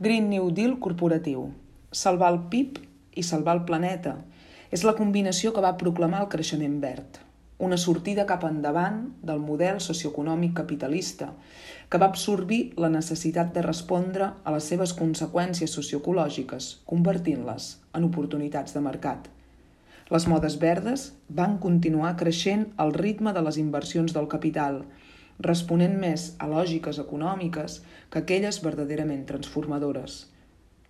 Green New Deal corporatiu. Salvar el PIB i salvar el planeta. És la combinació que va proclamar el creixement verd. Una sortida cap endavant del model socioeconòmic capitalista que va absorbir la necessitat de respondre a les seves conseqüències socioecològiques, convertint-les en oportunitats de mercat. Les modes verdes van continuar creixent al ritme de les inversions del capital, responent més a lògiques econòmiques que aquelles verdaderament transformadores.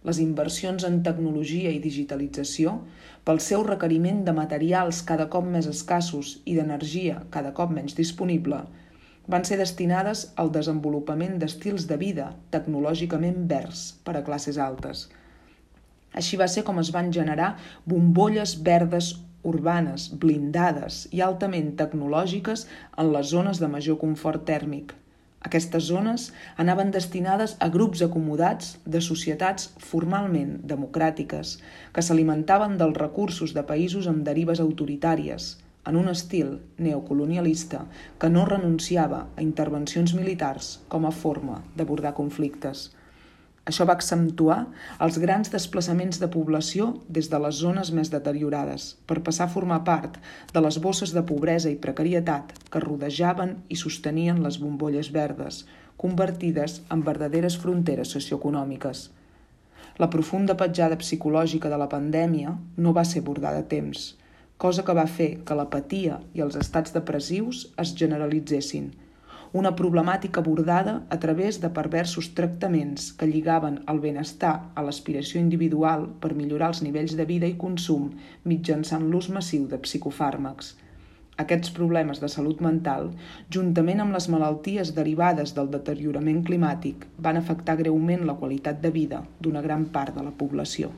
Les inversions en tecnologia i digitalització, pel seu requeriment de materials cada cop més escassos i d'energia cada cop menys disponible, van ser destinades al desenvolupament d'estils de vida tecnològicament verds per a classes altes. Així va ser com es van generar bombolles verdes urbanes, blindades i altament tecnològiques en les zones de major confort tèrmic. Aquestes zones anaven destinades a grups acomodats de societats formalment democràtiques que s'alimentaven dels recursos de països amb derives autoritàries, en un estil neocolonialista que no renunciava a intervencions militars com a forma d'abordar conflictes. Això va accentuar els grans desplaçaments de població des de les zones més deteriorades per passar a formar part de les bosses de pobresa i precarietat que rodejaven i sostenien les bombolles verdes, convertides en verdaderes fronteres socioeconòmiques. La profunda petjada psicològica de la pandèmia no va ser abordada a temps, cosa que va fer que l'apatia i els estats depressius es generalitzessin, una problemàtica abordada a través de perversos tractaments que lligaven el benestar a l'aspiració individual per millorar els nivells de vida i consum mitjançant l'ús massiu de psicofàrmacs. Aquests problemes de salut mental, juntament amb les malalties derivades del deteriorament climàtic, van afectar greument la qualitat de vida d'una gran part de la població.